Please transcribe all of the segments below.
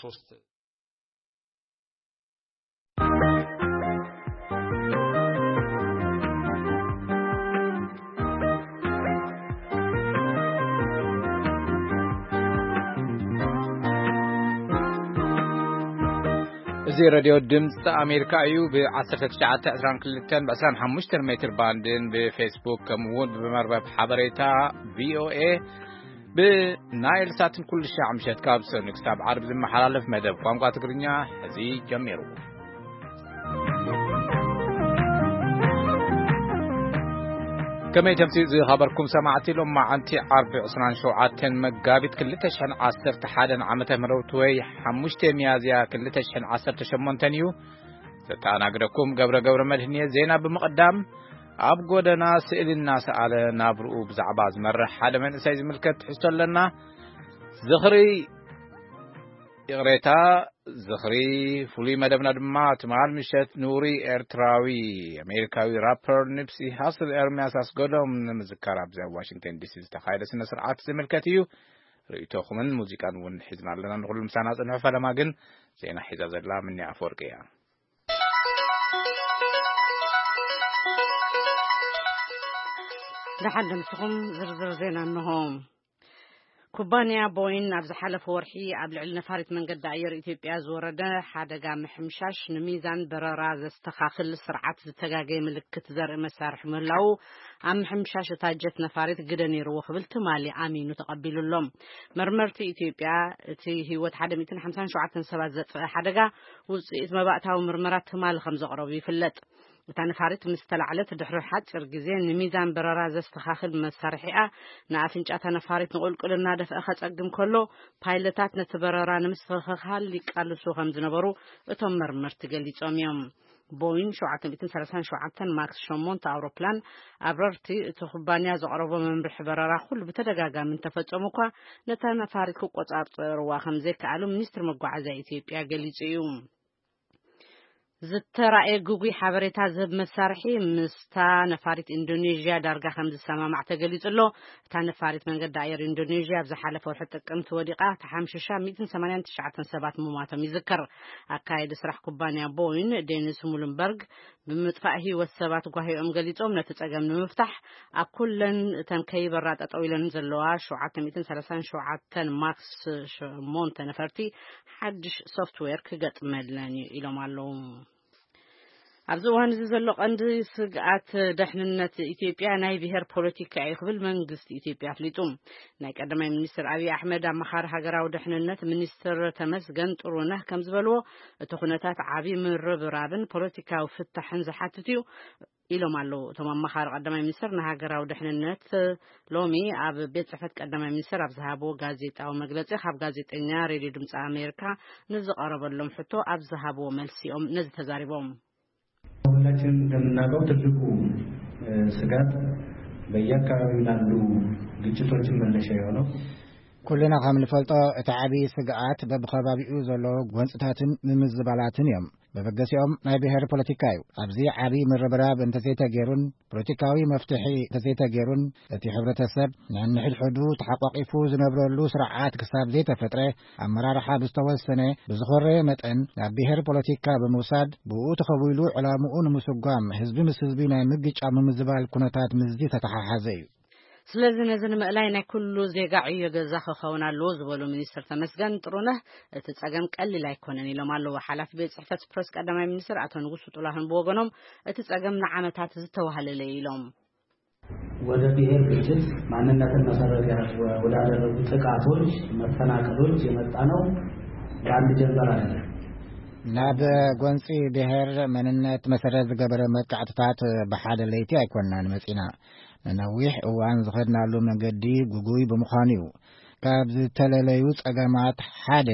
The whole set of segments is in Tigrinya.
ሶስት እዚ ሬድዮ ድምፂ ኣሜሪካ እዩ። ብ1922 ብ25 ሜትር ባንድን ብፌስቡክ ከምኡ እውን ብመርበብ ሓበሬታ ቪኦኤ ብናይል ሳትን ኩሉ ሻዕ ምሸት ካብ ሰኑ ክሳብ ዓርቢ ዝመሓላለፍ መደብ ቋንቋ ትግርኛ ሕዚ ጀሚሩ። ከመይ ተምሲ ዝኸበርኩም ሰማዕቲ፣ ሎም መዓንቲ ዓርቢ 27 መጋቢት 2011 ዓመተ ምህረት ወይ 5 ሚያዝያ 2018 እዩ። ዘተኣናግደኩም ገብረ ገብረ መድህን እየ። ዜና ብምቕዳም፣ ኣብ ጎደና ስእሊ እናሰኣለ ናብርኡ ብዛዕባ ዝመርሕ ሓደ መንእሰይ ዝምልከት ትሕዝቶ ኣለና። ዝኽሪ፣ ይቕሬታ፣ ዝኽሪ ፍሉይ መደብና ድማ ትማል ምሸት ንውሩይ ኤርትራዊ ኣሜሪካዊ ራፐር ኒፕሲ ሃስል ኤርምያስ ኣስገዶም ንምዝካር ኣብዚ ኣብ ዋሽንግተን ዲሲ ዝተኻየደ ስነ ስርዓት ዝምልከት እዩ። ርእይቶኹምን ሙዚቃን እውን ሒዝና ኣለና። ንኹሉ ምሳና ጽንሑ። ፈለማ ግን ዜና ሒዛ ዘላ ምንያ ኣፈወርቂ እያ። ደሓን ደምስኹም ዝርዝር ዜና እንሆ። ኩባንያ ቦይን ኣብ ዝሓለፈ ወርሒ ኣብ ልዕሊ ነፋሪት መንገዲ ኣየር ኢትዮጵያ ዝወረደ ሓደጋ ምሕምሻሽ፣ ንሚዛን በረራ ዘስተኻኽል ስርዓት ዝተጋገየ ምልክት ዘርኢ መሳርሒ ምህላዉ፣ ኣብ ምሕምሻሽ እታ ጀት ነፋሪት ግደ ነይርዎ ክብል ትማሊ ኣሚኑ ተቐቢሉ ኣሎ። መርመርቲ ኢትዮጵያ፣ እቲ ህይወት 157 ሰባት ዘጥፍአ ሓደጋ፣ ውጽኢት መባእታዊ ምርመራ ትማሊ ከም ዘቕረቡ ይፍለጥ። እታ ነፋሪት ምስ ተላዕለት ድሕሪ ሓጺር ግዜ፣ ንሚዛን በረራ ዘስተኻኽል መሳርሒኣ ንኣፍንጫ እታ ነፋሪት ንቑልቁል እናደፍአ ከጸግም ከሎ፣ ፓይለታት ነቲ በረራ ንምስትኽኻል ይቃልሱ ከም ዝነበሩ እቶም መርመርቲ ገሊጾም እዮም። ቦይን 737 ማክስ 8 ኣውሮፕላን፣ ኣብረርቲ እቲ ኩባንያ ዘቕረቦ መምርሒ በረራ ኩሉ ብተደጋጋሚ እንተፈጸሙ እኳ፣ ነታ ነፋሪት ክቆጻጸርዋ ከም ዘይከኣሉ ሚኒስትሪ መጓዓዝያ ኢትዮጵያ ገሊጹ እዩ። ዝተራእየ ግጉይ ሓበሬታ ዝህብ መሳርሒ ምስታ ነፋሪት ኢንዶኔዥያ ዳርጋ ከም ዝሰማማዕ ተገሊጹ ኣሎ። እታ ነፋሪት መንገዲ ኣየር ኢንዶኔዥያ ኣብ ዝሓለፈ ወርሒ ጥቅምቲ ወዲቓ ተሓምሽሻ 189 ሰባት ምሟቶም ይዝከር። ኣካየዲ ስራሕ ኩባንያ ቦይን ዴኒስ ሙሉንበርግ ብምጥፋእ ህይወት ሰባት ጓሂኦም ገሊጾም፣ ነቲ ጸገም ንምፍታሕ ኣብ ኩለን እተን ከይበራ ጠጠው ኢለን ዘለዋ 737 ማክስ 8 ነፈርቲ ሓድሽ ሶፍትዌር ክገጥመለን እዩ ኢሎም ኣለዉ። ኣብዚ እዋን እዚ ዘሎ ቀንዲ ስግኣት ደሕንነት ኢትዮጵያ ናይ ብሄር ፖለቲካ እዩ ክብል መንግስቲ ኢትዮጵያ ኣፍሊጡ። ናይ ቀዳማይ ሚኒስትር ኣብይ ኣሕመድ ኣመኻሪ ሃገራዊ ደሕንነት ሚኒስትር ተመስገን ጥሩነህ ከም ዝበልዎ፣ እቲ ኩነታት ዓቢ ምርብራብን ፖለቲካዊ ፍታሕን ዝሓትት እዩ ኢሎም ኣለዉ። እቶም ኣመኻሪ ቀዳማይ ሚኒስትር ንሃገራዊ ደሕንነት ሎሚ ኣብ ቤት ጽሕፈት ቀዳማይ ሚኒስትር ኣብ ዝሃብዎ ጋዜጣዊ መግለጺ፣ ካብ ጋዜጠኛ ሬድዮ ድምፂ ኣሜሪካ ንዝቐረበሎም ሕቶ ኣብ ዝሃብዎ መልሲ እዮም ነዚ ተዛሪቦም። ሁላችንም እንደምናውቀው ትልቁ ስጋት በየአካባቢው ላሉ ግጭቶችን መነሻ የሆነው ኩልና ከም ንፈልጦ፣ እቲ ዓብዪ ስግኣት በብኸባቢኡ ዘሎ ጎንፅታትን ምምዝባላትን እዮም። መበገሲኦም ናይ ብሔር ፖለቲካ እዩ። ኣብዚ ዓብዪ ምርብራብ እንተዘይተገይሩን ፖለቲካዊ መፍትሒ እንተዘይተገይሩን፣ እቲ ሕብረተሰብ ነንሕድሕዱ ተሓቋቒፉ ዝነብረሉ ስርዓት ክሳብ ዘይተፈጥረ፣ ኣመራርሓ ብዝተወሰነ ብዝኾረየ መጠን ናብ ብሔር ፖለቲካ ብምውሳድ፣ ብኡ ተኸዊሉ ዕላምኡ ንምስጓም፣ ህዝቢ ምስ ህዝቢ ናይ ምግጫው ምምዝባል ኩነታት ምስዚ ተተሓሓዘ እዩ። ስለዚ ነዚ ንምእላይ ናይ ኩሉ ዜጋ ዕዮ ገዛ ክኸውን ኣለዎ ዝበሉ ሚኒስትር ተመስገን ጥሩነህ፣ እቲ ጸገም ቀሊል ኣይኮነን ኢሎም ኣለዉ። ሓላፊ ቤት ጽሕፈት ፕረስ ቀዳማይ ሚኒስትር ኣቶ ንጉሱ ጥላሁን ብወገኖም፣ እቲ ጸገም ንዓመታት ዝተዋህለለ እዩ ኢሎም። ወደ ብሔር ግጭት ማንነትን መሰረት ወዳደረጉ ጥቃቶች፣ መፈናቀሎች የመጣ ነው በአንድ ጀንበር አይደለም። ናብ ጎንፂ ብሔር መንነት መሰረት ዝገበረ መጥቃዕትታት ብሓደ ለይቲ ኣይኮንናን መፂና። ንነዊሕ እዋን ዝኸድናሉ መንገዲ ጉጉይ ብምዃኑ እዩ። ካብ ዝተለለዩ ጸገማት ሓደ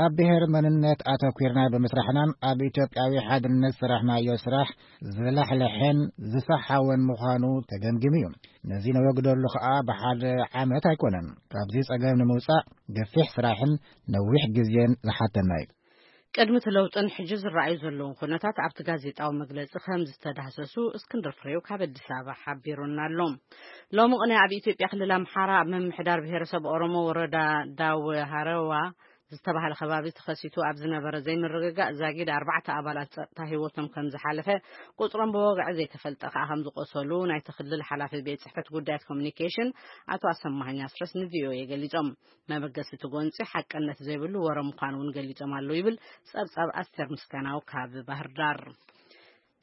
ኣብ ብሔር መንነት ኣተኲርና ብምስራሕናን ኣብ ኢትዮጵያዊ ሓድነት ዝሰራሕናዮ ስራሕ ዝላሕለሐን ዝሰሓወን ምዃኑ ተገምጊሙ እዩ። ነዚ ነወግደሉ ከኣ ብሓደ ዓመት ኣይኮነን። ካብዚ ጸገም ንምውጻእ ገፊሕ ስራሕን ነዊሕ ግዜን ዝሓተና እዩ። ቅድሚ እቲ ለውጥን ሕጂ ዝረኣዩ ዘለዉ ኩነታት ኣብቲ ጋዜጣዊ መግለጺ ከም ዝተዳህሰሱ እስክንድር ፍሬው ካብ ኣዲስ ኣበባ ሓቢሩና ኣሎ። ሎሚ ቅነ ኣብ ኢትዮጵያ ክልል ኣምሓራ ኣብ ምምሕዳር ብሄረሰብ ኦሮሞ ወረዳ ዳወ ሃረዋ ዝተባህለ ከባቢ ተኸሲቱ ኣብ ዝነበረ ዘይምርግጋእ ዛጊድ ኣርባዕተ ኣባላት ጸጥታ ህይወቶም ከም ዝሓለፈ፣ ቁጽሮም ብወግዒ ዘይተፈልጠ ከኣ ከም ዝቆሰሉ ናይቲ ክልል ሓላፊ ቤት ጽሕፈት ጉዳያት ኮሚኒኬሽን ኣቶ ኣሰማሃኝ ኣስረስ ንቪኦኤ ገሊጾም። መበገሲ እቲ ጎንጺ ሓቅነት ዘይብሉ ወረ ምዃኑ እውን ገሊጾም ኣለዉ ይብል ጸብጻብ ኣስቴር ምስጋናው ካብ ባህር ዳር።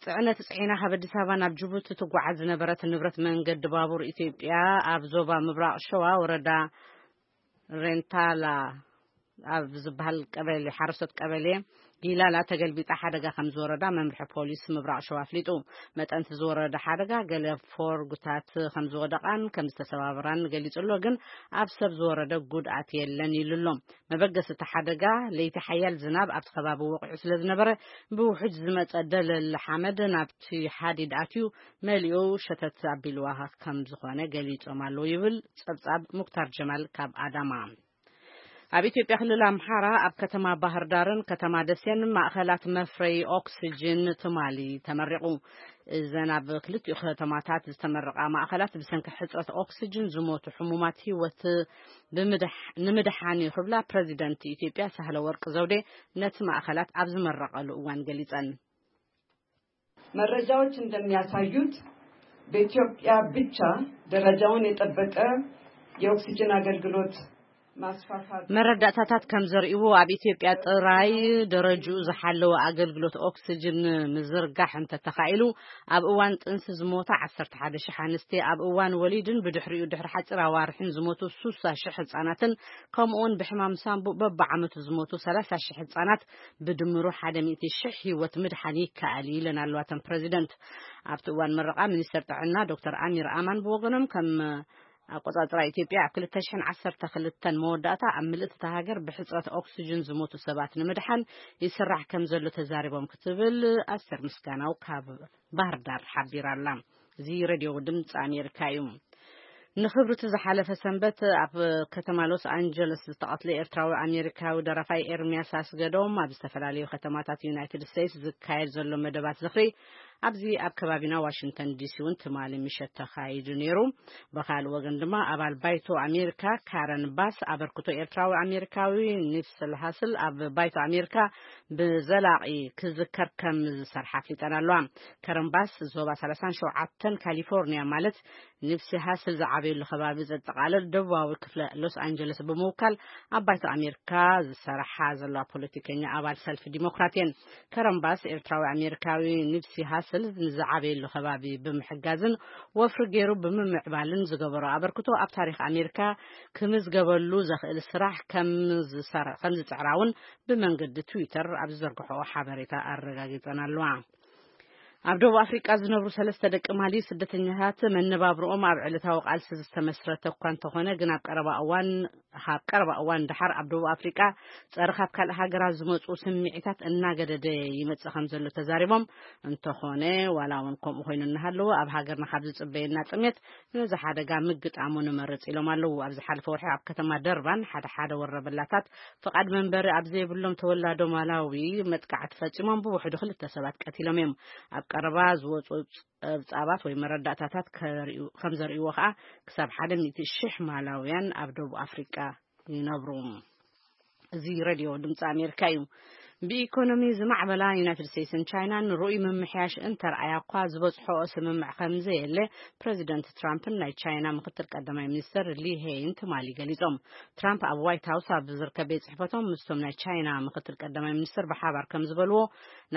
ጽዕነት ጽዒና ካብ ኣዲስ ኣበባ ናብ ጅቡቲ ትጓዓዝ ዝነበረት ንብረት መንገዲ ባቡር ኢትዮጵያ ኣብ ዞባ ምብራቕ ሸዋ ወረዳ ሬንታላ ኣብ ዝበሃል ቀበሌ፣ ሓረስቶት ቀበሌ ጊላላ ተገልቢጣ ሓደጋ ከም ዝወረዳ መምርሒ ፖሊስ ምብራቕ ሸዋ ኣፍሊጡ። መጠን እቲ ዝወረደ ሓደጋ ገለ ፎርጉታት ከም ዝወደቓን ከም ዝተሰባበራን ገሊጹ ኣሎ፣ ግን ኣብ ሰብ ዝወረደ ጉድኣት የለን ኢሉ ኣሎ። መበገሲ እቲ ሓደጋ ለይቲ ሓያል ዝናብ ኣብቲ ከባቢ ወቒዑ ስለ ዝነበረ ብውሕጅ ዝመጸ ደለል ሓመድ ናብቲ ሓዲድ ኣትዩ መሊኡ ሸተት ኣቢልዋ ከም ዝኾነ ገሊጾም ኣለዉ ይብል ጸብጻብ ሙክታር ጀማል ካብ ኣዳማ። ኣብ ኢትዮጵያ ክልል ኣምሓራ ኣብ ከተማ ባህር ዳርን ከተማ ደሴን ማእኸላት መፍረይ ኦክስጅን ትማሊ ተመሪቑ። እዘን ኣብ ክልቲኡ ከተማታት ዝተመረቓ ማእኸላት ብሰንኪ ሕፅረት ኦክስጅን ዝሞቱ ሕሙማት ህይወት ብምድሕ-፣ ንምድሓን እዩ ክብላ ፕረዚደንት ኢትዮጵያ ሳህለ ወርቅ ዘውዴ ነቲ ማእኸላት ኣብ ዝመረቐሉ እዋን ገሊፀን። መረጃዎች እንደሚያሳዩት በኢትዮጵያ ብቻ ደረጃውን የጠበቀ የኦክሲጅን አገልግሎት ማስፋፋት መረዳእታታት ከም ዘርእይዎ ኣብ ኢትዮጵያ ጥራይ ደረጅኡ ዝሓለወ ኣገልግሎት ኦክስጅን ምዝርጋሕ እንተተኻኢሉ ኣብ እዋን ጥንሲ ዝሞታ ዓሰርተ ሓደ ሺሕ ኣንስቲ፣ ኣብ እዋን ወሊድን ብድሕሪኡ ድሕሪ ሓፂር ኣዋርሕን ዝሞቱ ስሳ ሺሕ ህፃናትን ከምኡውን ብሕማም ሳንቡእ በብዓመቱ ዝሞቱ ሰላሳ ሺሕ ህፃናት ብድምሩ ሓደ ሚእቲ ሺሕ ህይወት ምድሓን ይከኣል እዩ ኢለን ኣለዋ እተን ፕረዚደንት። ኣብቲ እዋን ምረቓ ሚኒስተር ጥዕና ዶክተር ኣሚር ኣማን ብወገኖም ከም ኣቆጻጽራ ኢትዮጵያ ኣብ ክልተ ሽሕን ዓሰርተ ክልተን መወዳእታ ኣብ ምልእቲ እታ ሃገር ብሕጽረት ኦክስጅን ዝሞቱ ሰባት ንምድሓን ይስራሕ ከም ዘሎ ተዛሪቦም ክትብል ኣስቴር ምስጋናው ካብ ባህር ዳር ሓቢራ ኣላ። እዚ ሬድዮ ድምፂ ኣሜሪካ እዩ። ንክብሪ እቲ ዝሓለፈ ሰንበት ኣብ ከተማ ሎስ ኣንጀለስ ዝተቐትለ ኤርትራዊ ኣሜሪካዊ ደራፋይ ኤርሚያስ ኣስገዶም ኣብ ዝተፈላለዩ ከተማታት ዩናይትድ ስቴትስ ዝካየድ ዘሎ መደባት ዝኽሪ ኣብዚ ኣብ ከባቢና ዋሽንግተን ዲሲ እውን ትማሊ ምሸት ተኻይዱ ነይሩ። ብኻልእ ወገን ድማ ኣባል ባይቶ ኣሜሪካ ካረን ባስ ኣበርክቶ ኤርትራዊ ኣሜሪካዊ ኒፕስል ሃስል ኣብ ባይቶ ኣሜሪካ ብዘላቒ ክዝከር ከም ዝሰርሓ ኣፍሊጠን ኣለዋ። ከረን ባስ ዞባ ሰላሳን ሸውዓተን ካሊፎርኒያ ማለት ኒፕሲ ሃስል ዝዓበየሉ ከባቢ ዘጠቓልል ደቡባዊ ክፍለ ሎስ ኣንጀለስ ብምውካል ኣብ ባይቶ ኣሜሪካ ዝሰርሓ ዘለዋ ፖለቲከኛ ኣባል ሰልፊ ዲሞክራት እየን። ከረን ባስ ኤርትራዊ ኣሜሪካዊ ኒፕሲ ሃስል ንዝዓበየሉ ከባቢ ብምሕጋዝን ወፍሪ ገይሩ ብምምዕባልን ዝገበሮ ኣበርክቶ ኣብ ታሪኽ ኣሜሪካ ክምዝገበሉ ዘኽእል ስራሕ ከም ዝሰር-፣ ከም ዝጽዕራ እውን ብመንገዲ ትዊተር ኣብ ዝዘርግሖ ሓበሬታ ኣረጋጊጸን ኣለዋ። ኣብ ደቡብ ኣፍሪቃ ዝነብሩ ሰለስተ ደቂ ማሊ ስደተኛታት መነባብርኦም ኣብ ዕለታዊ ቃልሲ ዝተመስረተ እኳ እንተኾነ፣ ግን ኣብ ቀረባ እዋን፣ ካብ ቀረባ እዋን ደሓር ኣብ ደቡብ ኣፍሪቃ ጸረ ካብ ካልእ ሃገራት ዝመጹ ስምዒታት እናገደደ ይመጽእ ከም ዘሎ ተዛሪቦም። እንተኾነ፣ ዋላ እውን ከምኡ ኮይኑ እናሃለወ፣ ኣብ ሃገርና ካብ ዝጽበየና ጥሜት ነዚ ሓደጋ ምግጣሙ ንመርጽ ኢሎም ኣለዉ። ኣብ ዝሓለፈ ወርሒ ኣብ ከተማ ደርባን ሓደ ሓደ ወረበላታት ፍቓድ መንበሪ ኣብ ዘይብሎም ተወላዶ ማላዊ መጥቃዕቲ ፈጺሞም ብውሕዱ ክልተ ሰባት ቀቲሎም እዮም። ኣብ ቀረባ ዝወጹ ጸብጻባት ወይ መረዳእታታት ከርእዩ-፣ ከም ዘርእይዎ ከኣ ክሳብ ሓደ ሚእቲ ሽሕ ማላውያን ኣብ ደቡብ ኣፍሪቃ ይነብሩ። እዚ ሬድዮ ድምፂ ኣሜሪካ እዩ። ብኢኮኖሚ ዝማዕበላ ዩናይትድ ስቴትስን ቻይናን ርኡይ ምምሕያሽ እንተርኣያ እኳ ዝበጽሖኦ ስምምዕ ከም ዘየለ ፕረዚደንት ትራምፕን ናይ ቻይና ምክትል ቀዳማይ ሚኒስትር ሊ ሄይን ትማሊ ገሊጾም። ትራምፕ ኣብ ዋይት ሃውስ ኣብ ዝርከብ ቤት ጽሕፈቶም ምስቶም ናይ ቻይና ምክትል ቀዳማይ ሚኒስትር ብሓባር ከም ዝበልዎ፣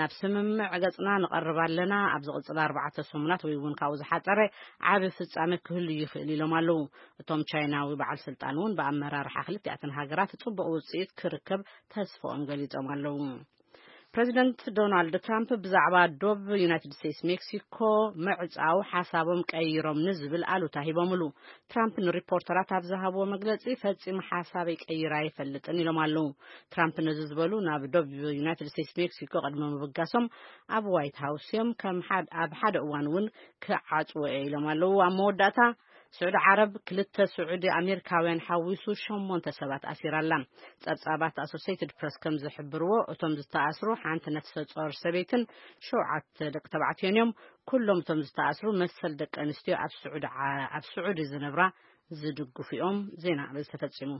ናብ ስምምዕ ገጽና ንቐርብ ኣለና። ኣብ ዝቕጽል ኣርባዕተ ሰሙናት ወይ እውን ካብኡ ዝሓጸረ ዓቢ ፍጻመ ክህሉ ይኽእል ኢሎም ኣለዉ። እቶም ቻይናዊ በዓል ስልጣን እውን ብኣመራርሓ ክልቲኣተን ሃገራት ጽቡቕ ውጽኢት ክርከብ ተስፋኦም ገሊጾም ኣለዉ። ፕረዚደንት ዶናልድ ትራምፕ ብዛዕባ ዶብ ዩናይትድ ስቴትስ ሜክሲኮ ምዕጻው ሓሳቦም ቀይሮም ንዝብል ኣሉታ ሂቦምሉ። ትራምፕ ንሪፖርተራት ኣብ ዝሃብዎ መግለጺ፣ "ፈጺሙ ሓሳበይ ቀይረ ኣይፈልጥን" ኢሎም ኣለዉ። ትራምፕ ነዚ ዝበሉ ናብ ዶብ ዩናይትድ ስቴትስ ሜክሲኮ ቅድሚ ምብጋሶም ኣብ ዋይት ሃውስ እዮም። ከም ሓድ-፣ ኣብ ሓደ እዋን እውን ክዓጽዎ እየ ኢሎም ኣለዉ። ኣብ መወዳእታ ስዑዲ ዓረብ ክልተ ስዑዲ ኣሜሪካውያን ሓዊሱ ሸሞንተ ሰባት ኣሲራ ኣላ። ጸብጻባት ኣሶሴይትድ ፕረስ ከም ዝሕብርዎ፣ እቶም ዝተኣስሩ ሓንቲ ነፍሰ ጾር ሰበይትን ሸውዓተ ደቂ ተባዕትዮን እዮም። ኩሎም እቶም ዝተኣስሩ መሰል ደቂ ኣንስትዮ ኣብ ስዑዲ ዓ-፣ ኣብ ስዑዲ ዝነብራ ዝድግፉ እዮም። ዜና በዚ ተፈጺሙ።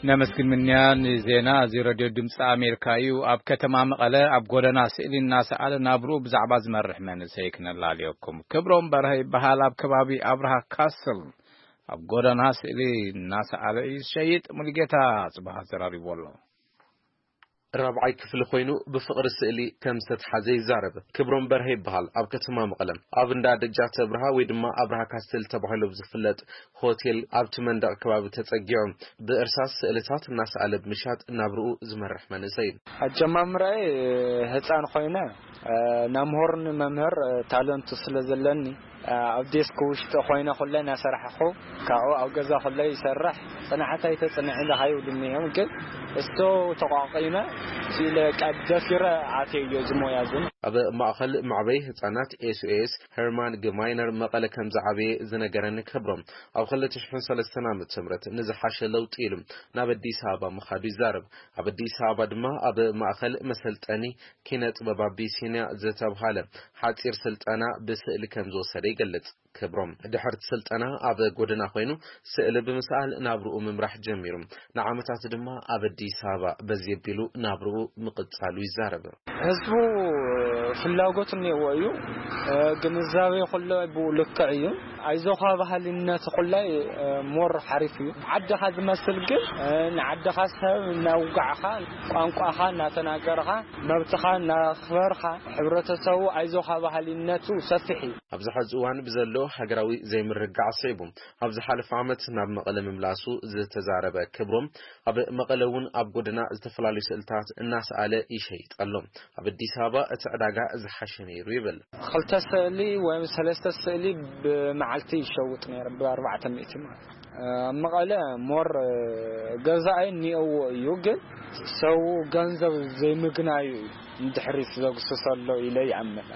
ነመስግን ምንያ። ንዜና እዚ ሬድዮ ድምፂ ኣሜሪካ እዩ። ኣብ ከተማ መቐለ ኣብ ጎደና ስእሊ እናሰኣለ ናብርኡ ብዛዕባ ዝመርሕ መንእሰይ ክነላልየኩም። ክብሮም በርሀ ይበሃል። ኣብ ከባቢ ኣብርሃ ካስል ኣብ ጎደና ስእሊ እናሰኣለ እዩ ዝሸይጥ። ሙሉጌታ ጽባህ ኣዘራሪብዎ ኣሎ። ራብዓይ ክፍሊ ኮይኑ ብፍቕሪ ስእሊ ከም ዝተትሓዘ ይዛረብ። ክብሮም በርሀ ይበሃል። ኣብ ከተማ መቐለ ኣብ እንዳ ደጃተ ኣብርሃ ወይ ድማ ኣብርሃ ካስትል ተባሂሉ ብዝፍለጥ ሆቴል ኣብቲ መንደቕ ከባቢ ተጸጊዑ ብእርሳስ ስእልታት እናሰኣለ ብምሻጥ ናብርኡ ዝመርሕ መንእሰይ እዩ። ኣጀማምራይ ህፃን ኮይነ፣ እ፣ ናብ ምሁር ንመምህር፣ እ፣ ታለንቱ ስለ ዘለኒ፣ እ፣ ኣብ ዴስክ ውሽጢ ኮይነ ኩለ እናሰራሕኹ፣ ካብኡ ኣብ ገዛ ኩለ ይሰርሕ። ጽንዓት ኣይተጽንዕን ኢኻ ይብሉኒ እዮም፣ ግን እሱ ተቋቒመ ኢለ ቀ-፣ ደፊረ ኣትየዮ እዚ ሞያ እዚ። ኣብ ማእኸል መዕበይ ህፃናት ኤስ ኦ ኤስ ሄርማን ግማይነር መቐለ ከም ዝዓበየ ዝነገረኒ ክብሮም፣ ኣብ ክልተ ሽሕን ሰለስተን ዓመተ ምህረት ንዝሓሸ ለውጢ ኢሉ ናብ ኣዲስ ኣበባ ምኻዱ ይዛረብ። ኣብ ኣዲስ ኣበባ ድማ ኣብ ማእኸል መሰልጠኒ ኪነ ጥበብ ኣቢሲንያ ዝተብሃለ ሓፂር ስልጠና ብስእሊ ከም ዝወሰደ ይገልጽ። ክብሮም ድሕርቲ ስልጠና ኣብ ጎደና ኮይኑ ስእሊ ብምስኣል ናብርኡ ምምራሕ ጀሚሩ። ንዓመታት ድማ ኣብ ኣዲስ ኣበባ በዚ ኣቢሉ ናብርኡ ምቕጻሉ ይዛረብ። ህዝቡ ፍላጎት እኒአዎ እዩ። ግንዛቤ ኩሎ ብኡ ልክዕ እዩ። ኣይዞኻ ባህልነት ኩላይ ሞር ሓሪፍ እዩ። ዓድኻ ዝመስል ግን ንዓድኻ ሰብ እናውጋዕኻ፣ ቋንቋኻ እናተናገርኻ፣ መብትኻ እናኽበርካ፣ ሕብረተሰቡ ኣይዞኻ ባህልነቱ ሰፊሕ እዩ። ኣብዚ ሐዚ እዋን ብዘሎ ሃገራዊ ዘይምርግጋዕ ስዒቡ፣ ኣብ ዝሓለፈ ዓመት ናብ መቐለ ምምላሱ ዝተዛረበ ክብሮም፣ ኣብ መቐለ እውን ኣብ ጎደና ዝተፈላለዩ ስእልታት እናሰኣለ ይሸይጥ ኣሎ። ኣብ ኣዲስ ኣበባ እቲ ዕዳጋ ዝሓሸ ነይሩ ይብል። ክልተ ስእሊ ወይም ሰለስተ ስእሊ ብመዓልቲ ይሸውጥ ነይሩ፣ ብኣርባዕተ ሚእቲ ማለት። ኣብ መቐለ ሞር ገዛኢ እኒኦዎ እዩ፣ ግን ሰው ገንዘብ ዘይምግናዩ እዩ ንድሕሪት ዘጉስሶ ኣሎ ኢለ ይኣምን።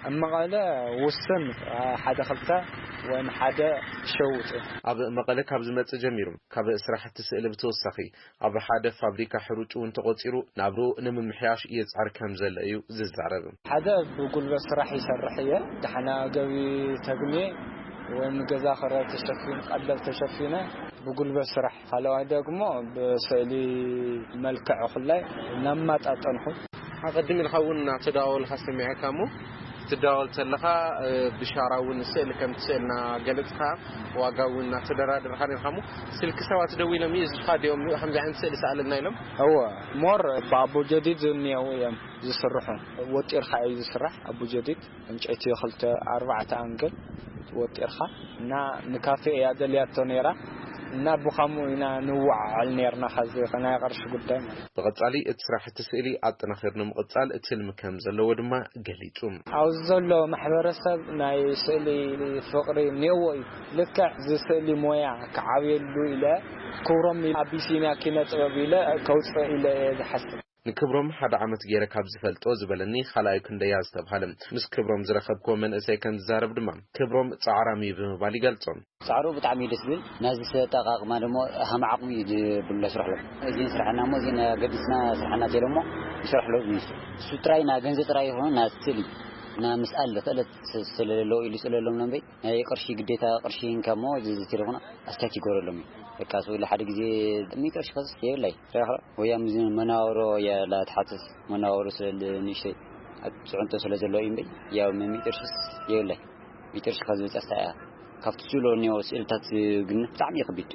ኣብ መቐለ ውስን፣ ሓደ ክልተ ወይም ሓደ ይሸውጥ እዩ። ኣብ መቐለ ካብ ዝመጽእ ጀሚሩ፣ ካብ ስራሕቲ ስእሊ ብተወሳኺ ኣብ ሓደ ፋብሪካ ሕሩጭ እውን ተቖጺሩ ናብርኡ ንምምሕያሽ ይጽዕር ከም ዘሎ እዩ ዝዛረብ። ሓደ ብጉልበት ስራሕ ይሰርሕ እየ። ደሓና ገቢ ተግሜ ወይም ገዛ ክራይ ተሸፊኑ፣ ቀለብ ተሸፊነ ብጉልበት ስራሕ፣ ካልኣይ ደግሞ ብስእሊ መልክዕ ኩላይ እናማጣጠንኩ። ኣቐድም ኢልካ እውን እናተደዋወልካ ሰሚዐካ እሞ፣ ትደዋወል ተለኻ፣ እ፣ ብሻራ እውን ስእሊ ከም ትስእልና ገለጽካ፣ ዋጋ እውን እናተደራደርካ ነርካ እሞ፣ ስልኪ ሰባት ደዊሎም እዩ፣ እዚኻ ድዮም ከምዚ ዓይነት ስእሊ ሰኣለና ኢሎም? እወ፣ ሞር ብኣቦ ጀዲድ እኒአው እዮም ዝስርሑ። ወጢርካ እዩ ዝስራሕ ኣቦ ጀዲድ። ዕንጨይቲ ክልተ ኣርባዕተ ኣንግል ወጢርካ እና ንካፌ እያ ደልያቶ ነይራ እና ብኸምኡ ኢና ንወዓዓል ነይርና። ከዚ ናይ ቅርሺ ጉዳይ ማለት። ብቐጻሊ እቲ ስራሕቲ ስእሊ ኣጠናኺሩ ንምቕጻል ትልሚ ከም ዘለዎ ድማ ገሊጹ። ኣብዚ ዘሎ ማሕበረሰብ ናይ ስእሊ ፍቕሪ እኒአዎ እዩ። ልክዕ እዚ ስእሊ ሞያ ክዓብየሉ ኢለ ክብሮም ኣቢሲንያ ኪነ ጥበብ ኢለ ከውፅእ ኢለ እየ ዝሓስብ። ንክብሮም ሓደ ዓመት ገይረ ካብ ዝፈልጦ ዝበለኒ ካልኣዩ ክንደያ ዝተብሃለ ምስ ክብሮም ዝረኸብክዎ መንእሰይ ከም ዝዛረብ ድማ ክብሮም ጻዕራም እዩ ብምባል ይገልጾ። ጻዕሩ ብጣዕሚ እዩ ደስ ዝብል። ናዚ ኣጠቓቕማ ደሞ ሃም ዓቕሚ እዩ ዝብሎ ስርሕሎም። እዚ ስርሕና እሞ እዚ ኣገዲስና ስርሕና ተይሎሞ ይሰርሕሎ እዩ። እሱ ጥራይ ና ገንዘብ ጥራይ ይኹን ና ስእሊ ና ምስኣል ክእለት ስ-፣ ስለለዎ ኢሉ ይስእለሎም ነው እምበይ ናይ ቅርሺ ግዴታ ቅርሺ እንካ እሞ እዚ ተይልኹና ኣስታት ይገብረሎም እዩ። በቃ ስብለ ሓደ ግዜ ሚእቲ ቅርሺ ከስስ የብላይ። ሬኻ ወይ ኣብ ምዚ መናወሮ እያ ላትሓትስ መናወሮ ስለ ንእሽተይ ኣብ ጽዕንቶ ስለ ዘሎ እዩ እምበይ ያው ሚእቲ ቅርሺስ የብላይ። ሚእቲ ቅርሺ ካብ ዝበጽሕ እያ። ካብቲ ስእሎ እኒኦ ስእልታት ግን ብጣዕሚ እዩ ከቢድ።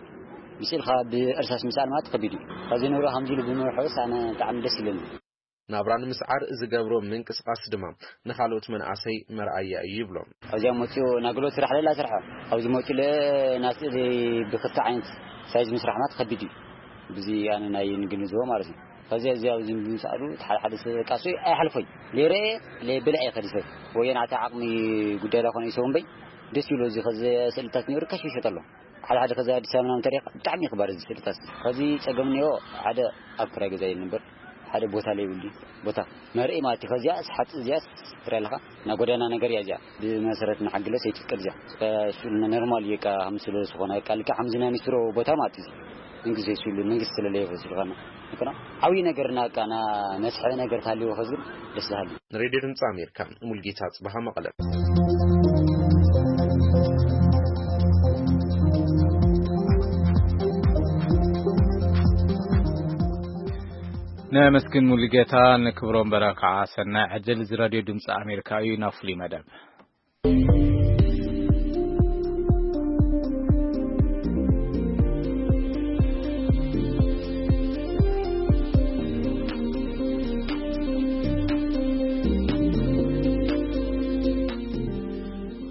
ብስእልካ ብእርሳስ ምስኣል ማለት ከቢድ እዩ። ካብዚ ንብሮ ከምዚ ኢሉ ብምርሖስ ኣነ ብጣዕሚ ደስ ይብለኒ። ናብራ ንምስዓር ዝገብሮ ምንቅስቓስ ድማ ንኻልኦት መናእሰይ መርኣያ እዩ ይብሎ። ኣብዚኣ መፂኡ ናግሎት ስራሕ ለላ ስርሖ ኣብዚ መፂኡ ለ ናስእሊ ብክልተ ዓይነት ሳይዝ ምስራሕ ማለት ከቢድ እዩ። ብዚ ኣነ ናይ ንግንዝቦ ማለት እዩ። ከዚ እዚ ኣብዚ ምስኣሉ እቲ ሓደ ሓደ ሰብ በቃ እሱ ኣይሓልፎይ ለይረኤ ለይብልዐ ከዲ ሰብ ወየን ኣቲ ዓቕሚ ጉዳይ ላኮነ ይሰው እምበይ ደስ ይብሎ። እዚ ከዚ ስእልታት ነይሩ ካሽ ይሸጠሎ ሓደ ሓደ ከዚ ኣዲስ ኣበባ ምናምን ተሪኻ ብጣዕሚ ይኽባር እዚ ስእልታት እዚ። ከዚ ጸገም እኒኦ ሓደ ኣብ ክራይ ገዛ ይንበር ሓደ ቦታ ለይብሉ ቦታ መርኢ ማለት እዩ። ከዚኣ ሓፂ እዚኣ ትሪኣ ኣለኻ ናይ ጎደና ነገር እያ እዚኣ ብመሰረት ንሓግለስ ኣይትፍቀድ እዚኣ እሱ ኖርማል እዩ። ቃ ከም ስለ ዝኾነ ቃ ልካ ከምዚ ናይ ኒስትሮ ቦታ ማለት እዩ። መንግስቲ ዘይስሉ መንግስቲ ስለለየ ስለኾነ ይኮና ዓብዪ ነገር ና ቃ ና መስሐ ነገር ታልዎ ከዝብል ደስ ዝሃሉ። ንሬድዮ ድምፂ ኣሜሪካ ሙልጌታ ጽባሃ መቐለ። ነመስግን ሙሉጌታ፣ ንክብሮም በረ ከዓ ሰናይ ዕድል። እዚ ራድዮ ድምፂ ኣሜሪካ እዩ። ናብ ፍሉይ መደብ።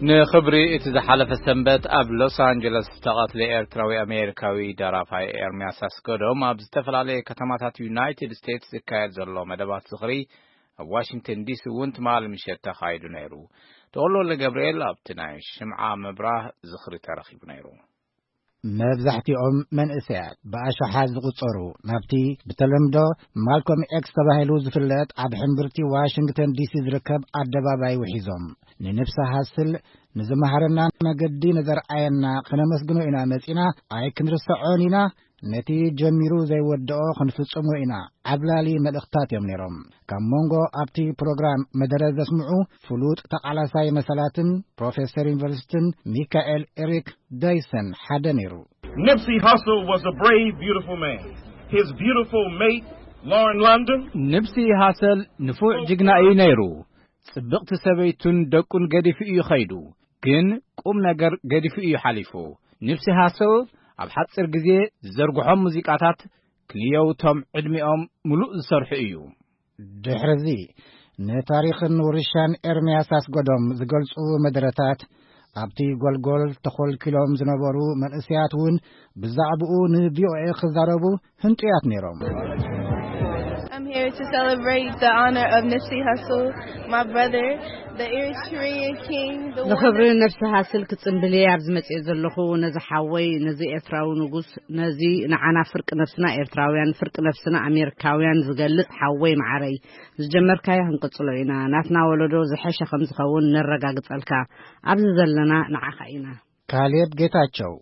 ንኽብሪ እቲ ዝሓለፈ ሰንበት ኣብ ሎስ ኣንጀለስ ዝተቐትለ ኤርትራዊ ኣሜሪካዊ ደራፋይ ኤርምያስ ኣስገዶም ኣብ ዝተፈላለየ ከተማታት ዩናይትድ ስቴትስ ዝካየድ ዘሎ መደባት ዝኽሪ ኣብ ዋሽንግተን ዲሲ እውን ትማሊ ምሸት ተኻይዱ ነይሩ። ተወልደ ገብርኤል ኣብቲ ናይ ሽምዓ ምብራህ ዝኽሪ ተረኺቡ ነይሩ። መብዛሕትኦም መንእሰያት ብኣሽሓት ዝቑጸሩ ናብቲ ብተለምዶ ማልኮም ኤክስ ተባሂሉ ዝፍለጥ ኣብ ሕምብርቲ ዋሽንግተን ዲሲ ዝርከብ ኣደባባይ ውሒዞም፣ ንንብሲ ሃስል ንዝመሃረና መገዲ ንዘርኣየና ክነመስግኖ ኢና መጺና፣ ኣይክንርሰዖን ኢና፣ ነቲ ጀሚሩ ዘይወድኦ ክንፍጽሞ ኢና፣ ዓብላሊ መልእኽታት እዮም ነይሮም። ካብ መንጎ ኣብቲ ፕሮግራም መደረ ዘስምዑ ፍሉጥ ተቓላሳይ መሰላትን ፕሮፌሰር ዩኒቨርሲቲን ሚካኤል ኤሪክ ዳይሰን ሓደ ነይሩ። Nipsey Hussle was a brave, beautiful man. His beautiful mate, Lauren London, ንብሲ ሃሰል ንፉዕ ጅግና እዩ ነይሩ። ጽብቕቲ ሰበይቱን ደቁን ገዲፉ እዩ ኸይዱ። ግን ቁም ነገር ገዲፉ እዩ ሓሊፉ። ንብሲ ሃሰል ኣብ ሓጺር ግዜ ዝዘርግሖም ሙዚቃታት ክንየውቶም ዕድሚኦም ምሉእ ዝሰርሑ እዩ። ድሕርዚ ንታሪኽን ውርሻን ኤርምያስ ኣስገዶም ዝገልጹ መደረታት ኣብቲ ጎልጎል ተኾልኪሎም ዝነበሩ መንእሰያት እውን ብዛዕባኡ ንቪኦኤ ክዛረቡ ህንጡያት ነይሮም። I'm here to celebrate the honor of Nipsey Hussle, my brother, the Eritrean king, the one ንኽብሪ that ነብሲ ሃስል ክጽምብል እየ ኣብዚ መጽኤ ዘለኹ። ነዚ ሓወይ፣ ነዚ ኤርትራዊ ንጉስ፣ ነዚ ንዓና ፍርቂ ነብስና ኤርትራውያን፣ ፍርቂ ነብስና ኣሜሪካውያን ዝገልጽ ሓወይ መዓረይ፣ ዝጀመርካዮ ክንቅጽሎ ኢና። ናትና ወለዶ ዝሐሸ ከም ዝኸውን ነረጋግጸልካ። ኣብዚ ዘለና ንዓኻ ኢና። ካሌብ ጌታቸው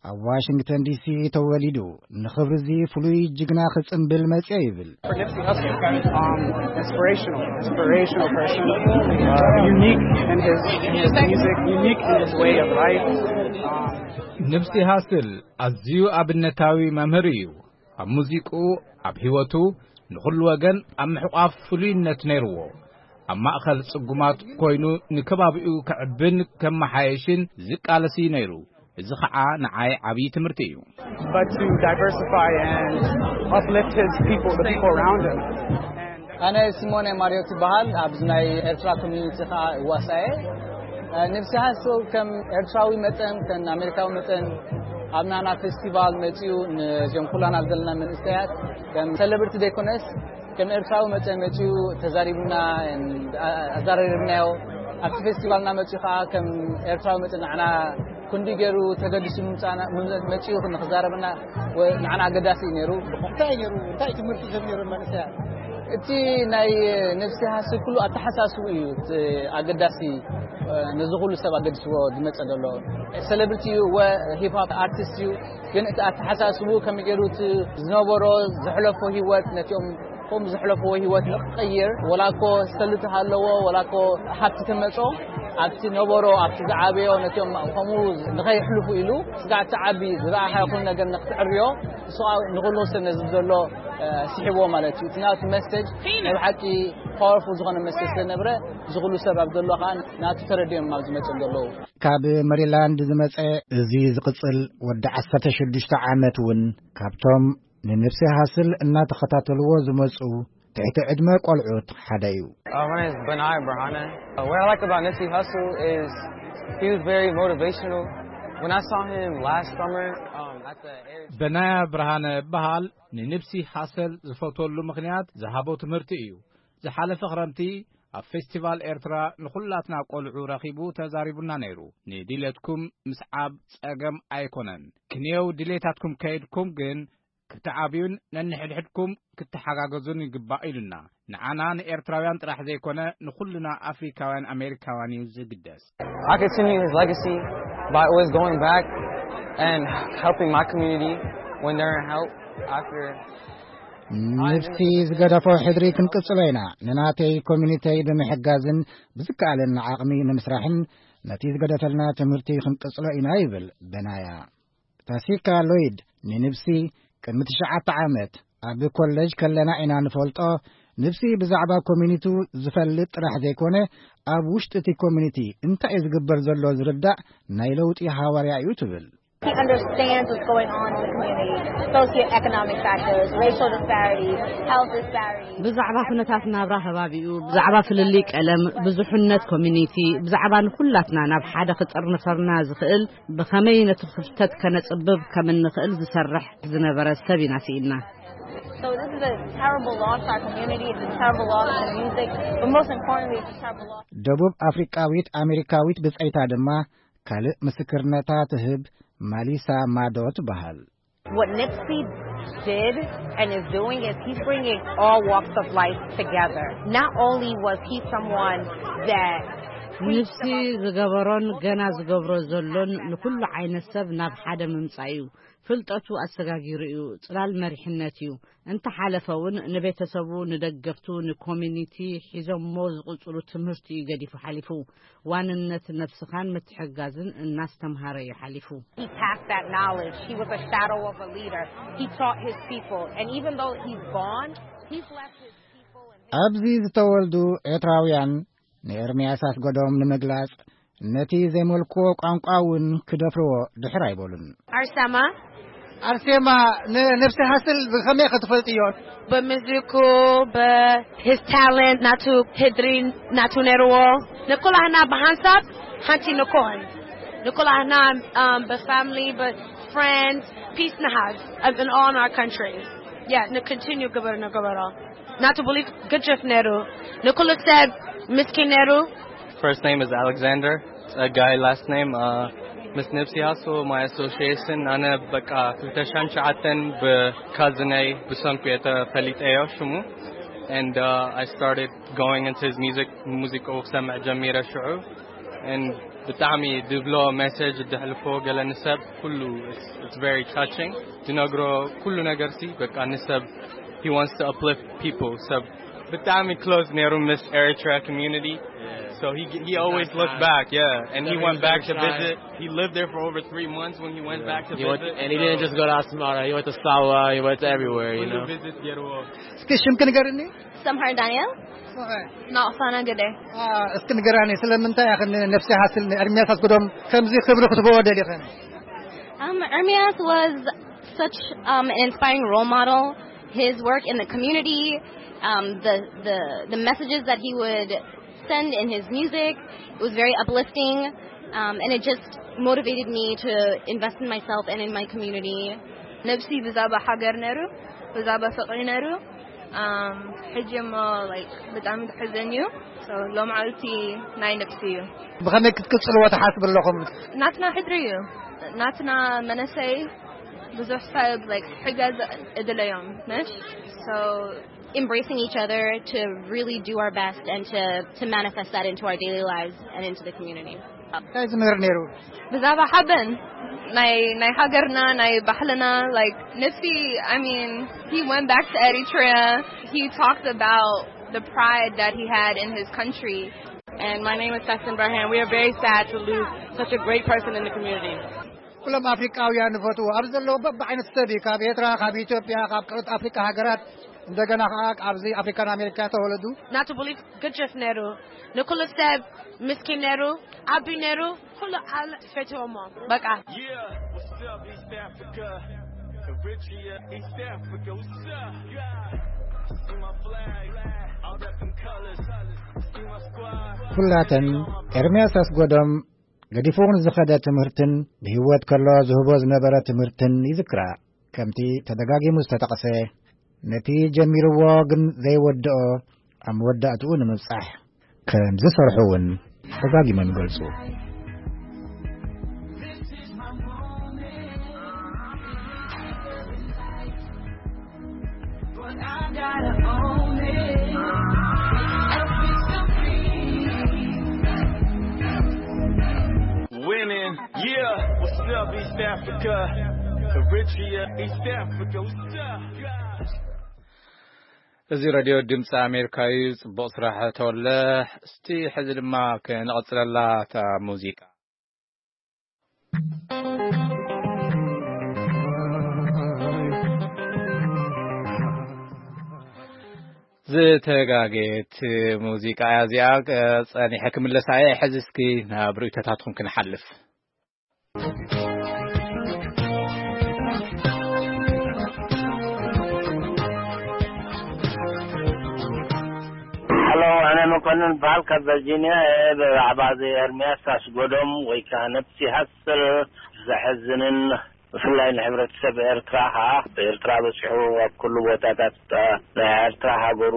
ኣብ ዋሽንግተን ዲሲ ተወሊዱ፣ ንኽብሪ እዚ ፍሉይ ጅግና ክጽምብል መጽየ ይብል። Um, inspirational, inspirational person. Uh, unique in his in his music, unique in his way of life. Um, ንብሲ ሃስል ኣዝዩ ኣብነታዊ መምህር እዩ። ኣብ ሙዚቁ፣ ኣብ ህይወቱ ንኹሉ ወገን ኣብ ምሕቋፍ ፍሉይነት ነይርዎ። ኣብ ማእኸል ጽጉማት ኮይኑ ንከባቢኡ ከዕብን ከመሓየሽን ዝቃለስ እዩ ነይሩ። እዚ ኸዓ ንዓይ ዓብዪ ትምህርቲ እዩ። but to diversify and uplift his people, the people around him. ኣነ ሲሞነ ማርዮት ይበሃል። ኣብዚ ናይ ኤርትራ ኮሚኒቲ ኸዓ እዋሳየ። ንብሲ ሃስል ከም ኤርትራዊ መጠን ከም ኣሜሪካዊ መጠን ኣብ ናና ፌስቲቫል መጺኡ ነዞም ኩላና ዘለና መንእሰያት ከም ሴሌብሪቲ ዘይኮነስ ከም ኤርትራዊ መጠን መጺኡ ተዛሪቡና፣ ኣዛራሪብናዮ። ኣብቲ ፌስቲቫልና መጺኡ ኸዓ ከም ኤርትራዊ መጠን ንዓና ክንዲ ገይሩ ተገዲሱ ምምጻእና መጺኡ ንኽዛረበና ንዓና ኣገዳሲ እዩ ነይሩ። እንታይ ነይሩ? እንታይ ትምህርቲ ከም ነይሩ መንእሰያት? እቲ ናይ ነብሲ ሃስል ኩሉ ኣተሓሳስቡ እዩ እቲ ኣገዳሲ፣ ነዚ ኩሉ ሰብ ኣገዲስዎ ዝመጸ ዘሎ። ሴሌብሪቲ እዩ ወ ሂፕ ሆፕ ኣርቲስት እዩ፣ ግን እቲ ኣተሓሳስቡ ከመይ ገይሩ እቲ ዝነበሮ ዘሕለፎ ህይወት ነቲኦም ከምኡ ዘሕለፍዎ ህይወት ንክቕይር፣ ወላ እኮ ሰልቲ ሃለዎ፣ ወላ እኮ ሃብቲ ተመጾ፣ ኣብቲ ነበሮ፣ ኣብቲ ዝዓበዮ፣ ነቲኦም ከምኡ ንኸይሕልፉ ኢሉ፣ ስጋዕ እቲ ዓቢ ዝረኣኻዮ ኩሉ ነገር ንክትዕርዮ፣ ንሱ ከዓ ንኹሉ ሰብ ነዚ ዘሎ፣ እ፣ ስሒብዎ ማለት እዩ። እቲ ናቱ መሰጅ ናይ ብሓቂ ፓወርፉል ዝኾነ መሰጅ ስለነበረ፣ እዚ ኩሉ ሰብ ኣብ ዘሎ ከዓ ናቱ ተረዲኦም ኣብዚ መጽኦም ዘለዉ። ካብ መሪላንድ ዝመጸ እዚ ዝቕጽል ወዲ ዓሰርተ ሽዱሽተ ዓመት እውን ካብቶም ንንብሲ ሃስል እናተኸታተልዎ ዝመጹ ትሕቲ ዕድመ ቆልዑት ሓደ እዩ። Uh, my name is Benai Brahana. Uh, what I like about Nipsey Hussle is he was very motivational. When I saw him last summer um, at the Air በናያ ብርሃነ እበሃል። ንንብሲ ሃሰል ዝፈትወሉ ምኽንያት ዝሃቦ ትምህርቲ እዩ። ዝሓለፈ ክረምቲ ኣብ ፌስቲቫል ኤርትራ ንኹላትና ቆልዑ ረኺቡ ተዛሪቡና ነይሩ። ንድሌትኩም ምስዓብ ጸገም ኣይኮነን። ክንየው ድሌታትኩም ከይድኩም ግን ክትዓብዩን ነንሕድሕድኩም ክትሓጋገዙን ይግባእ ኢሉና። ንዓና ንኤርትራውያን ጥራሕ ዘይኮነ ንኹልና ኣፍሪካውያን ኣሜሪካውያን እዩ ዝግደስ። I continue his legacy by always going back and helping my community when they're in help after. ንብሲ ዝገደፎ ሕድሪ ክንቅጽሎ ኢና። ንናተይ ኮሚኒተይ ብምሕጋዝን ብዝከኣለና ዓቕሚ ንምስራሕን ነቲ ዝገደፈልና ትምህርቲ ክንቅጽሎ ኢና ይብል በናያ። ታሲካ ሎይድ ንንብሲ ቅድሚ ትሽዓተ ዓመት ኣብ ኮሌጅ ከለና ኢና ንፈልጦ። ንብሲ ብዛዕባ ኮሚኒቱ ዝፈልጥ ጥራሕ ዘይኮነ፣ ኣብ ውሽጢ እቲ ኮሚኒቲ እንታይ እዩ ዝግበር ዘሎ ዝርዳእ ናይ ለውጢ ሃዋርያ እዩ ትብል። He understands what's going on in the community, socioeconomic factors, racial disparities, health disparities. ብዛዕባ ኩነታት ናብራ ከባቢኡ፣ ብዛዕባ ፍልልይ ቀለም፣ ብዙሕነት ኮሚኒቲ፣ ብዛዕባ ንኩላትና ናብ ሓደ ክጥርንፈርና ዝኽእል ብኸመይ ነቲ ክፍተት ከነጽብብ ከም እንኽእል ዝሰርሕ ዝነበረ ሰብ ኢና ስኢንና። So this is a terrible loss to our community. It's a terrible loss to music. But most importantly, it's a terrible loss. ደቡብ ኣፍሪቃዊት ኣሜሪካዊት ብጸይታ ድማ ካልእ ምስክርነታ ትህብ ማሊሳ ማዶ ትበሃል። What Nipsey did and is doing is he's bringing all walks of life together. Not only was he someone that ንብሲ ዝገበሮን ገና ዝገብሮ ዘሎን ንኩሉ ዓይነት ሰብ ናብ ሓደ ምምጻእ እዩ። ፍልጠቱ ኣሰጋጊሩ እዩ። ጽላል መሪሕነት እዩ። እንተሓለፈ እውን ንቤተሰቡ፣ ንደገፍቱ፣ ንኮሚኒቲ ሒዞሞ ዝቕጽሉ ትምህርቲ እዩ ገዲፉ ሓሊፉ። ዋንነት ነብስኻን ምትሕጋዝን እናስተምሃረ እዩ ሓሊፉ። He passed that knowledge. He was a shadow of a leader. He taught his people. And even though he's gone, he's left his people and ኣብዚ ዝተወልዱ ኤርትራውያን ንኤርምያስ ኣስገዶም ንምግላጽ ነቲ ዘይመልክዎ ቋንቋ እውን ክደፍርዎ ድሕር ኣይበሉን። Arsema. ኣርሴማ፣ ንነብሲ ሃስል ብኸመይ ክትፈልጥዮ? በምዝኩ በ his talent ናቱ ህድሪ ናቱ ነርዎ ንኩላህና ብሓንሳብ ሓንቲ ንኮን ንኩላህና um, በ family በ friends peace ንሃዝ in all our countries. Yeah, ን continue ግበር ንግበሮ። ናቱ belief ግድፍ ነሩ ንኩሉ ሰብ ምስኪን ነሩ። First name is Alexander. ጸጋይ last name. Uh, Miss Nipsey Hussle, my association. ኣነ በቃ ክልተ ሺሕን ትሽዓተን ብካዝነይ ብሰንኩ እየ ተፈሊጠዮ ሽሙ። And uh, I started going into his music. ሙዚቃኡ ክሰምዕ ጀሚረ ሽዑ። And ብጣዕሚ ድብሎ message ድሕልፎ ገለ ንሰብ ኩሉ it's, it's very touching። ድነግሮ ኩሉ ነገር ሲ በቃ ንሰብ he wants to uplift people. ሰብ ብጣዕሚ close ነሩ ምስ Eritrea community. So he he always looked back, yeah, and he went back to visit. He lived there for over three months when he went back to He went, visit. and he didn't just go to Asmara. He went to Sawa. He went to everywhere. You know. Visit Yeruo. እስኪ ሽምኪ ንገርኒ። Samhar Daniel. Not Fana Gade. እስኪ ንገራኒ፣ ስለምንታይ ኢኽን ነብሲ ሃስል ንኤርምያስ ኣስገዶም ከምዚ ክብሪ ክትበዎ ደሊኽን? Um, Ermias was such um, an inspiring role model. His work in the community, um, the, the, the messages that he would send in his music, it was very uplifting, um, and it just motivated me to invest in myself and in my community. ነብሲ ብዛባ ሃገር ነሩ፣ ብዛባ ፍቕሪ ነሩ። Um, ሕጂ እሞ like ብጣዕሚ ተሕዘን እዩ። So ሎምዓልቲ ናይ ነብሲ እዩ። ብኸመይ ክትቅጽልዎ ትሓስብ ኣለኹም? ናትና ሕድሪ እዩ። ናትና መነሰይ ብዙሕ ሰብ like ሕገዝ እድለዮም ነሽ። So embracing each other to really do our best and to, to manifest that into our daily lives and into the community. እንታይ ዝምህር ነይሩ? ብዛባ ሓበን ናይ ናይ ሃገርና ናይ ባህልና like ነብሲ I mean he went back to Eritrea. He talked about the pride that he had in his country. And my name is Sexton Burhan. We are very sad to lose such a great person in the community. ኩሎም ኣፍሪቃውያን ንፈትዎ ኣብ ዘለዎ በብዓይነት ሰብ እዩ። ካብ ኤርትራ፣ ካብ ኢትዮጵያ፣ ካብ ካልኦት ኣፍሪቃ ሃገራት፣ እንደገና ከዓ ኣብዚ ኣፍሪካን ኣሜሪካ ተወለዱ። ናቱ belief ግድፍ ነሩ ንኩሉ ሰብ ምስኪን ነሩ ዓቢ ነሩ ኩሉ ዓለ ፈትዎሞ በቃ። Yeah, what's up, East Africa? Eritrea, East Africa, what's up? Yeah, see my flag, all that them colors. See my squad. ኩላተን ኤርምያስ ኣስጎዶም ገዲፍዎ ንዝኸደ ትምህርትን ብህይወት ከሎ ዝህቦ ዝነበረ ትምህርትን ይዝክራ። ከምቲ ተደጋጊሙ ዝተጠቕሰ ነቲ ጀሚርዎ ግን ዘይወድኦ ኣብ መወዳእትኡ ንምብጻሕ ከም ዝሰርሑ እውን ደጋጊሞም ይገልጹ። Winning, yeah, what's up, East Africa? Eritrea, East Africa, what's up? እዚ ሬድዮ ድምፂ ኣሜሪካ እዩ። ፅቡቕ ስራሕ ተወለ። እስቲ ሕዚ ድማ ክንቕፅለላ እታ ሙዚቃ። ዝተጋገየት ሙዚቃ እያ እዚኣ። ጸኒሐ ክምለሳ እየ። ሕዚ እስኪ ናብ ርእይቶታትኩም ክንሓልፍ። ሄሎ፣ ኣነ መኮንን በሃል ካብ ቨርጂኒያ እየ። ብዛዕባ እዚ ኤርምያስ ኣስጎዶም ወይ ከዓ ነብሲ ሃስል ዘሕዝንን ብፍላይ ንሕብረተሰብ ኤርትራ ኸዓ ብኤርትራ በጺሑ ኣብ ኩሉ ቦታታት ናይ ኤርትራ ሃገሩ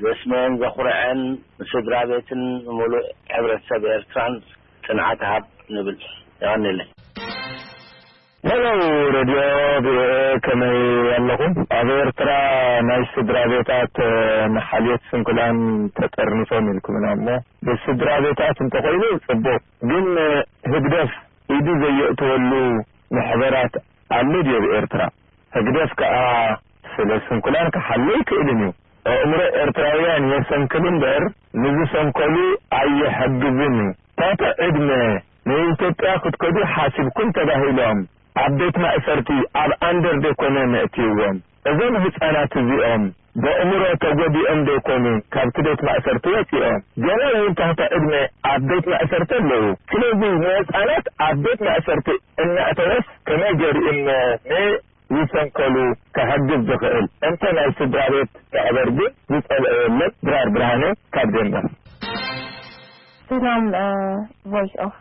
ዘስመየን ዘኹርዐን ንስድራ ቤትን ንሙሉእ ሕብረተሰብ ኤርትራን ጽንዓት ሃብ ንብል። የቐንየለይ። ሄሎ ሬድዮ ቪኦኤ፣ ከመይ ኣለኹም? ኣብ ኤርትራ ናይ ስድራ ቤታት ንሓልዮት ስንኩላን ተጠርኒፎም ኢልኩምና እሞ፣ ብስድራ ቤታት እንተኾይኑ ጽቡቕ፣ ግን ህግደፍ ኢዱ ዘየእተወሉ ማሕበራት ኣሎ ድዩ ኣብ ኤርትራ? ህግደፍ ከኣ ስለ ስንኩላን ክሓሉ ኣይክእልን እዩ። ኣእምሮ ኤርትራውያን የሰንክል እምበር ንዝሰንከሉ ኣይሕግዝን እዩ። ታተ ዕድመ ንኢትዮጵያ ክትከዱ ሓሲብኩም ተባሂሎም ኣብ ቤት ማእሰርቲ ኣብ ኣንደር ደይኮነ መእትይዎም? እዞም ህጻናት እዚኦም በእምሮ ተጎዲኦም ደይኮኑ ካብቲ ቤት ማእሰርቲ ወጺኦም? ገና እውን ታህቲ ዕድመ ኣብ ቤት ማእሰርቲ ኣለዉ። ስለዚ ንህጻናት ኣብ ቤት ማእሰርቲ እናእተወስ ከመይ ገይሩ እሞ ንዝሰንከሉ ክሕግዝ ዝኽእል? እንተ ናይ ስድራ ቤት ማሕበር ግን ዝጸልኦ የለን። ድራር ብርሃነ ካብ ዴንማርክ። ሰላም ቮይስ ኦፍ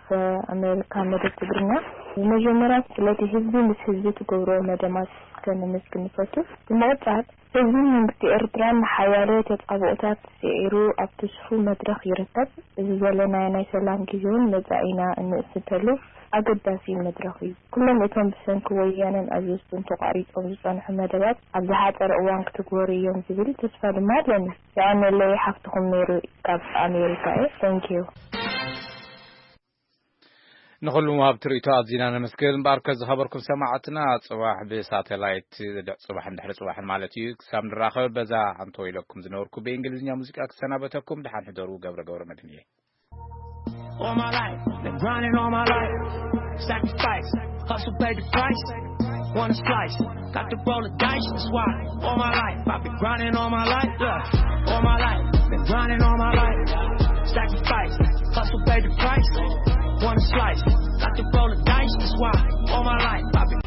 ኣሜሪካ መደብ ትግርኛ። ብመጀመርያ ስለቲ ህዝቢ ምስ ህዝቢ ትገብርዎ መደማት ከነመስግን ንፈቱ። ብምቕጻል ህዝቢ መንግስቲ ኤርትራ ንሓያሎ ተጻብኦታት ስዒሩ ኣብቲ ስፉው መድረኽ ይርከብ። እዚ ዘለናዮ ናይ ሰላም ግዜ እውን መጻኢና እንእስሰሉ ኣገዳሲ መድረኽ እዩ። ኩሎም እቶም ብሰንኪ ወያነን ኣዘዝቱን ተቋሪጾም ዝጸንሑ መደባት ኣብ ዝሓጸረ እዋን ክትግበሩ እዮም ዝብል ተስፋ ድማ ኣለኒ። የቐንየለይ ሓፍትኹም ሜሪ ካብ ኣሜሪካ እየ። Thank you። ንኹሉ ምሃብቲ ርእይቶ ኣዚና ነመስግን። እምበኣርከ ዝኸበርኩም ሰማዕትና፣ ጽባሕ ብሳተላይት ጽባሕን ድሕሪ ጽባሕን ማለት እዩ ክሳብ ንራኸብ በዛ ኣንተወ ኢለኩም ዝነበርኩ ብእንግሊዝኛ ሙዚቃ ክሰናበተኩም። ደሓን ሕደሩ። ገብረ ገብረ መድህን እየ። All my life, been grinding all my life. Sacrifice, hustle, pay the price. Wanna slice, got to roll the dice. That's why all my life, I've been grinding all my life. Look, all my life, been grinding all my life. Sacrifice, hustle, pay the price. Wanna slice, got to roll the dice. That's why all my life, I've been